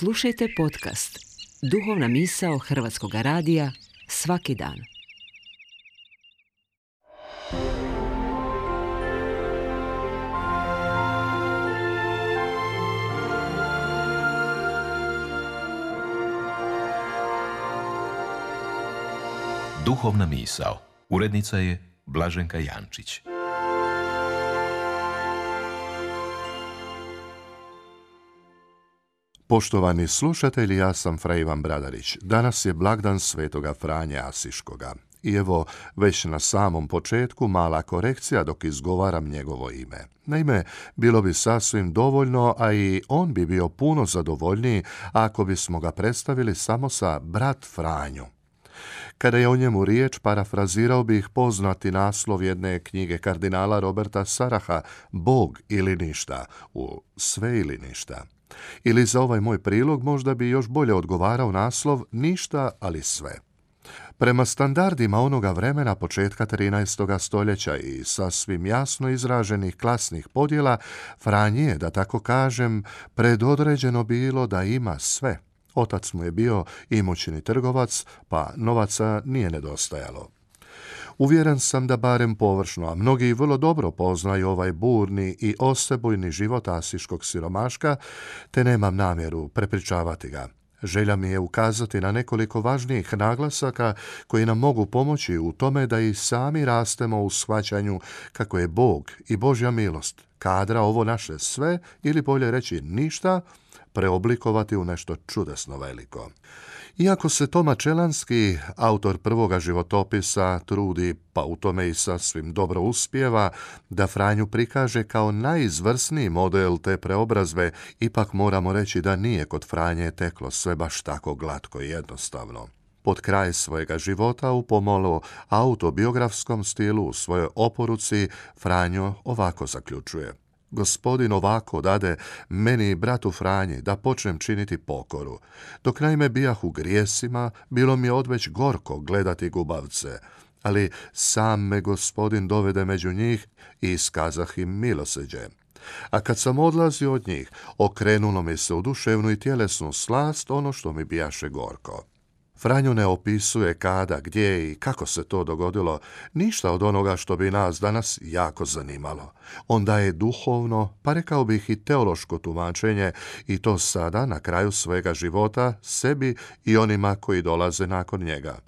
Slušajte podcast Duhovna misao Hrvatskog radija svaki dan. Duhovna misao. Urednica je Blaženka Jančić. Poštovani slušatelji, ja sam fra Ivan Bradarić. Danas je blagdan svetoga Franje Asiškoga. I evo, već na samom početku mala korekcija dok izgovaram njegovo ime. Naime, bilo bi sasvim dovoljno, a i on bi bio puno zadovoljniji ako bismo ga predstavili samo sa brat Franjo. Kada je o njemu riječ, parafrazirao bih poznati naslov jedne knjige kardinala Roberta Saraha, Bog ili ništa, u sve ili ništa. Ili za ovaj moj prilog možda bi još bolje odgovarao naslov Ništa, ali sve. Prema standardima onoga vremena početka 13. stoljeća i sasvim jasno izraženih klasnih podjela, Franji je, da tako kažem, predodređeno bilo da ima sve. Otac mu je bio imućni trgovac, pa novaca nije nedostajalo. Uvjeren sam da barem površno, a mnogi vrlo dobro poznaju ovaj burni i osebujni život asiškog siromaška, te nemam namjeru prepričavati ga. Želja mi je ukazati na nekoliko važnijih naglasaka koji nam mogu pomoći u tome da i sami rastemo u shvaćanju kako je Bog i Božja milost kadra ovo naše sve, ili bolje reći ništa, preoblikovati u nešto čudesno veliko. Iako se Toma Čelanski, autor prvoga životopisa, trudi, pa u tome i sasvim dobro uspijeva, da Franju prikaže kao najizvrsniji model te preobrazbe, ipak moramo reći da nije kod Franje teklo sve baš tako glatko i jednostavno. Pod kraj svojega života u pomalo autobiografskom stilu u svojoj oporuci Franjo ovako zaključuje: Gospodin ovako dade meni, bratu Franji, da počnem činiti pokoru. Dok naime bijah u grijesima, bilo mi je odveć gorko gledati gubavce, ali sam me Gospodin dovede među njih i iskazah im milosrđe. A kad sam odlazio od njih, okrenulo mi se u duševnu i tjelesnu slast ono što mi bijaše gorko. Franjo ne opisuje kada, gdje i kako se to dogodilo, ništa od onoga što bi nas danas jako zanimalo. On daje duhovno, pa rekao bih i teološko tumačenje, i to sada, na kraju svega života, sebi i onima koji dolaze nakon njega.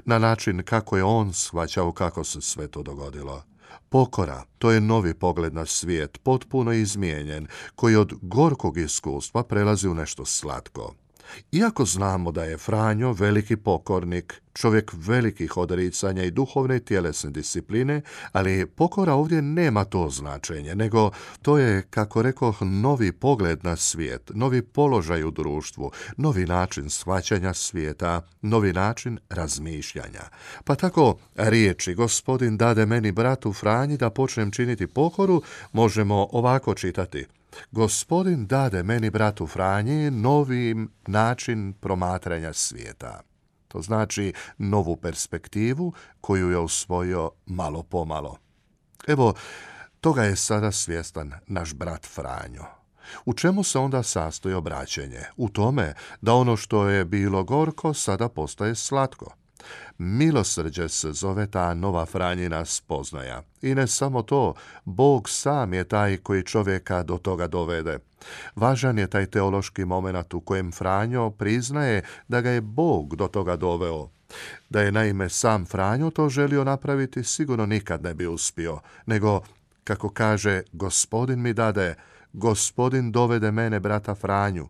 Na način kako je on shvaćao kako se sve to dogodilo. Pokora, to je novi pogled na svijet, potpuno izmijenjen, koji od gorkog iskustva prelazi u nešto slatko. Iako znamo da je Franjo veliki pokornik, čovjek velikih odricanja i duhovne i tjelesne discipline, ali pokora ovdje nema to značenje, nego to je, kako rekoh, novi pogled na svijet, novi položaj u društvu, novi način shvaćanja svijeta, novi način razmišljanja. Pa tako riječi Gospodin dade meni, bratu Franji, da počnem činiti pokoru, možemo ovako čitati: Gospodin dade meni, bratu Franji, novi način promatranja svijeta. To znači novu perspektivu koju je usvojio malo pomalo. Evo, toga je sada svjestan naš brat Franjo. U čemu se onda sastoji obraćenje? U tome da ono što je bilo gorko sada postaje slatko. Milosrđe se zove ta nova Franjina spoznaja. I ne samo to, Bog sam je taj koji čovjeka do toga dovede. Važan je taj teološki moment u kojem Franjo priznaje da ga je Bog do toga doveo. Da je naime sam Franjo to želio napraviti, sigurno nikad ne bi uspio, nego, kako kaže, Gospodin mi dade, Gospodin dovede mene, brata Franju.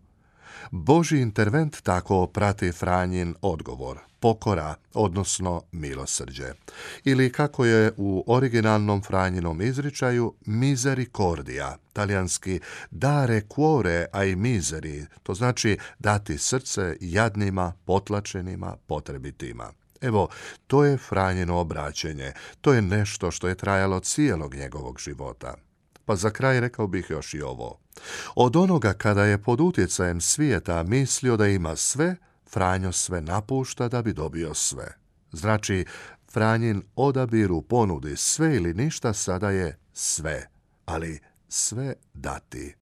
Božji intervent tako prati Franjin odgovor, pokora, odnosno milosrđe. Ili kako je u originalnom Franjinom izričaju, misericordia, talijanski dare cuore ai miseri, to znači dati srce jadnima, potlačenima, potrebitima. Evo, to je Franjino obraćenje, to je nešto što je trajalo cijelog njegovog života. Pa za kraj rekao bih još i ovo. Od onoga kada je pod utjecajem svijeta mislio da ima sve, Franjo sve napušta da bi dobio sve. Znači, Franjin odabir u ponudi sve ili ništa sada je sve, ali sve dati.